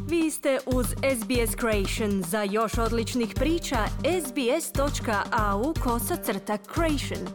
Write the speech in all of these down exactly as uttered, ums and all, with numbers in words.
Vi ste uz S B S Creation. Za još odličnih priča, sbs.au kosacrta creation.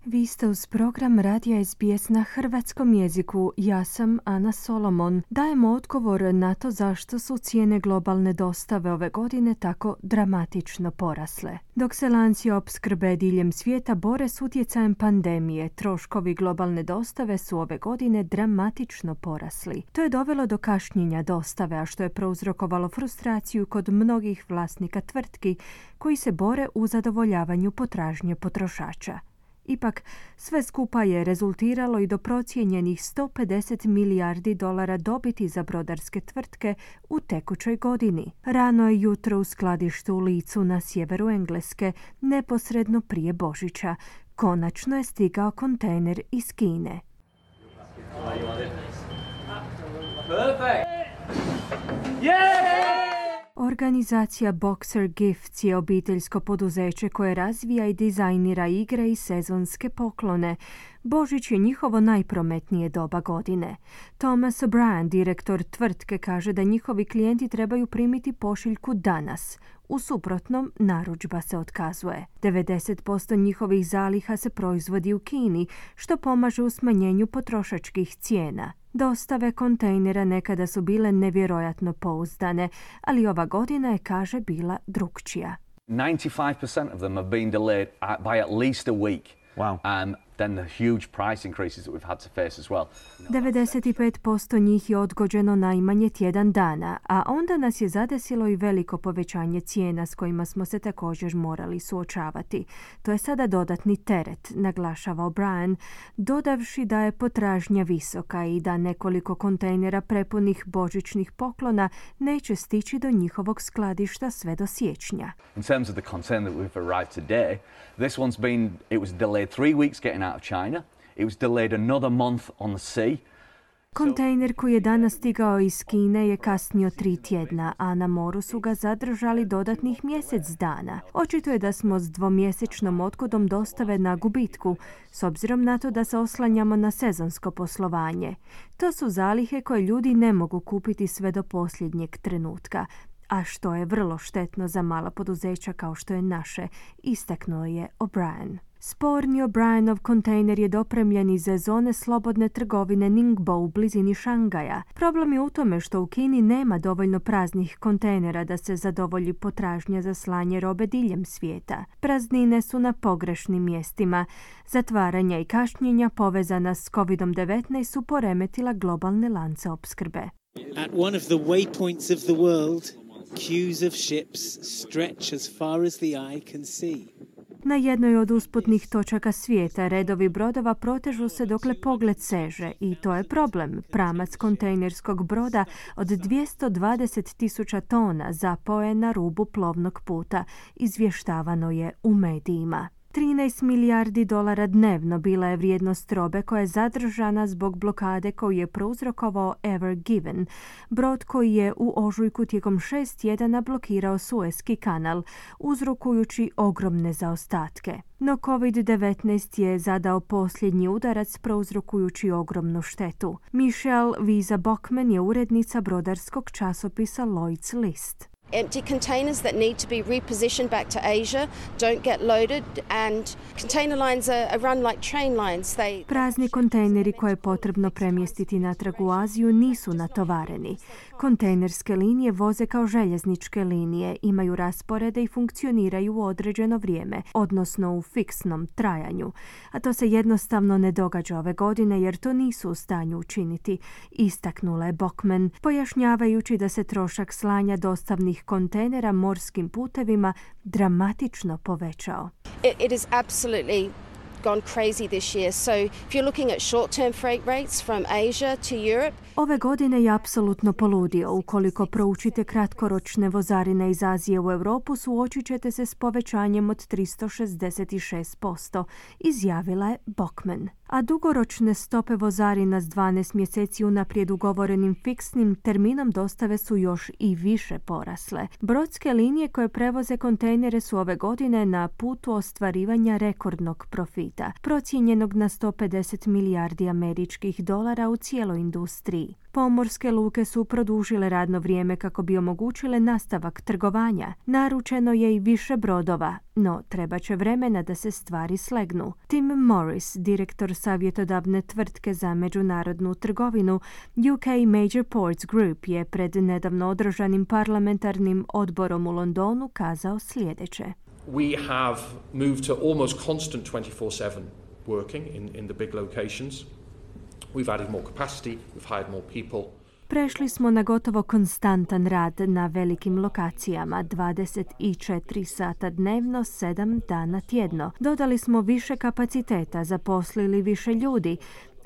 Vi ste uz program Radija S B S na hrvatskom jeziku. Ja sam Ana Solomon. Dajemo odgovor na to zašto su cijene globalne dostave ove godine tako dramatično porasle. Dok se lanci opskrbe diljem svijeta bore s utjecajem pandemije, troškovi globalne dostave su ove godine dramatično porasli. To je dovelo do kašnjenja dostave, a što je prouzrokovalo frustraciju kod mnogih vlasnika tvrtki koji se bore u zadovoljavanju potražnje potrošača. Ipak, sve skupa je rezultiralo i do procijenjenih sto pedeset milijardi dolara dobiti za brodarske tvrtke u tekućoj godini. Rano je jutro u skladištu u Leedsu na sjeveru Engleske, neposredno prije Božića. Konačno je stigao kontejner iz Kine. Perfect. Yeah! Organizacija Boxer Gifts je obiteljsko poduzeće koje razvija i dizajnira igre i sezonske poklone. Božić je njihovo najprometnije doba godine. Thomas O'Brien, direktor tvrtke, kaže da njihovi klijenti trebaju primiti pošiljku danas. U suprotnom, narudžba se otkazuje. devedeset posto njihovih zaliha se proizvodi u Kini, što pomaže u smanjenju potrošačkih cijena. Dostave kontejnera nekada su bile nevjerojatno pouzdane, ali ova godina je, kaže, bila drukčija. ninety-five percent of them have been delayed by at least a week. Wow. Um, then the huge price increases that we've had to face as well. devedeset pet posto njih je odgođeno najmanje tjedan dana, a onda nas je zadesilo i veliko povećanje cijena s kojima smo se također morali suočavati. To je sada dodatni teret, naglašava O'Brien, dodavši da je potražnja visoka i da nekoliko kontejnera prepunih božićnih poklona neće stići do njihovog skladišta sve do siječnja. In terms of the container that we've arrived today, this one's been, it was delayed three weeks getting out of China. It was delayed another month on the sea. Kontejner koji je danas stigao iz Kine je kasnio tri tjedna, a na moru su ga zadržali dodatnih mjesec dana. Očito je da smo s dvomjesečnom odgodom dostave na gubitku, s obzirom na to da se oslanjamo na sezonsko poslovanje. To su zalihe koje ljudi ne mogu kupiti sve do posljednjeg trenutka, a što je vrlo štetno za mala poduzeća kao što je naše, istaknuo je O'Brien. Sporni O'Brienov kontejner je dopremljen iz zone slobodne trgovine Ningbo u blizini Šangaja. Problem je u tome što u Kini nema dovoljno praznih kontejnera da se zadovolji potražnja za slanje robe diljem svijeta. Praznine su na pogrešnim mjestima. Zatvaranja i kašnjenja povezana s covid devetnaest su poremetila globalne lance opskrbe. At one of the waypoints of the world, queues of ships stretch as far as the eye can see. Na jednoj od usputnih točaka svijeta redovi brodova protežu se dokle pogled seže i to je problem. Pramac kontejnerskog broda od dvjesto dvadeset tisuća tona zapao je na rubu plovnog puta, izvještavano je u medijima. trinaest milijardi dolara dnevno bila je vrijednost robe koja je zadržana zbog blokade koju je prouzrokovao Ever Given, brod koji je u ožujku tijekom šest tjedana blokirao Suezki kanal, uzrokujući ogromne zaostatke. No covid devetnaest je zadao posljednji udarac prouzrokujući ogromnu štetu. Michelle Visa Bockman je urednica brodarskog časopisa Lloyd's List. Empty containers that need to be repositioned back to Asia don't get loaded, and container lines are, are run like train lines. They... Prazni kontejneri koje je potrebno premjestiti natrag u Aziju nisu natovareni. Kontejnerske linije voze kao željezničke linije, imaju rasporede i funkcioniraju u određeno vrijeme, odnosno u fiksnom trajanju. A to se jednostavno ne događa ove godine jer to nisu u stanju učiniti, istaknula je Bockman, pojašnjavajući da se trošak slanja dostavnih kontejnera morskim putevima dramatično povećao. It, it is absolutely gone crazy this year. So if you're looking at short-term freight rates from Asia to Europe, ove godine je apsolutno poludio. Ukoliko proučite kratkoročne vozarine iz Azije u Europu, suočit ćete se s povećanjem od tristo šezdeset šest posto, izjavila je Bockman. a dugoročne stope vozarina s dvanaest mjeseci unaprijed ugovorenim fiksnim terminom dostave su još i više porasle. Brodske linije koje prevoze kontejnere su ove godine na putu ostvarivanja rekordnog profita, procijenjenog na sto pedeset milijardi američkih dolara u cijeloj industriji. Pomorske luke su produžile radno vrijeme kako bi omogućile nastavak trgovanja. Naručeno je i više brodova, no treba će vremena da se stvari slegnu. Tim Morris, direktor savjetodavne tvrtke za međunarodnu trgovinu U K Major Ports Group, je pred nedavno održanim parlamentarnim odborom u Londonu kazao sljedeće. We have moved to almost constant twenty-four seven working in, in the big locations. We've added more capacity, we've hired more people. Prešli smo na gotovo konstantan rad na velikim lokacijama, dvadeset četiri sata dnevno, sedam dana tjedno. Dodali smo više kapaciteta, zaposlili više ljudi.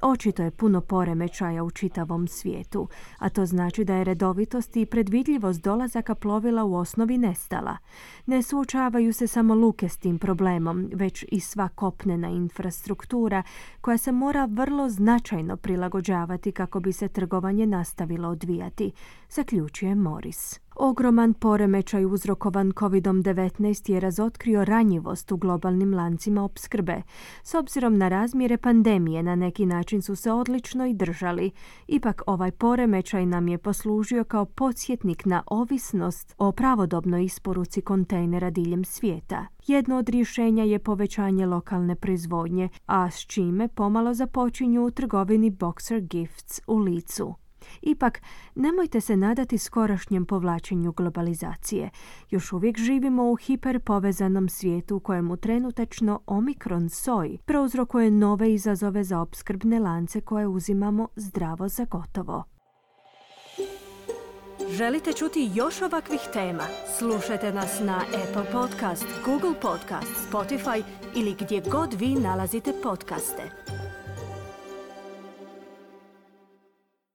Očito je puno poremećaja u čitavom svijetu, a to znači da je redovitost i predvidljivost dolazaka plovila u osnovi nestala. Ne suočavaju se samo luke s tim problemom, već i sva kopnena infrastruktura koja se mora vrlo značajno prilagođavati kako bi se trgovanje nastavilo odvijati, zaključuje Morris. Ogroman poremećaj uzrokovan kovid devetnaest je razotkrio ranjivost u globalnim lancima opskrbe. S obzirom na razmjere pandemije, na neki način su se odlično i držali. Ipak ovaj poremećaj nam je poslužio kao podsjetnik na ovisnost o pravodobnoj isporuci kontejnera diljem svijeta. Jedno od rješenja je povećanje lokalne proizvodnje, a s čime pomalo započinju u trgovini Boxer Gifts u Licu. Ipak, nemojte se nadati skorašnjem povlačenju globalizacije. Još uvijek živimo u hiperpovezanom svijetu u kojemu trenutačno Omikron soj prouzrokuje nove izazove za opskrbne lance koje uzimamo zdravo za gotovo. Želite čuti još ovakvih tema? Slušajte nas na Apple Podcast, Google Podcast, Spotify ili gdje god vi nalazite podcaste.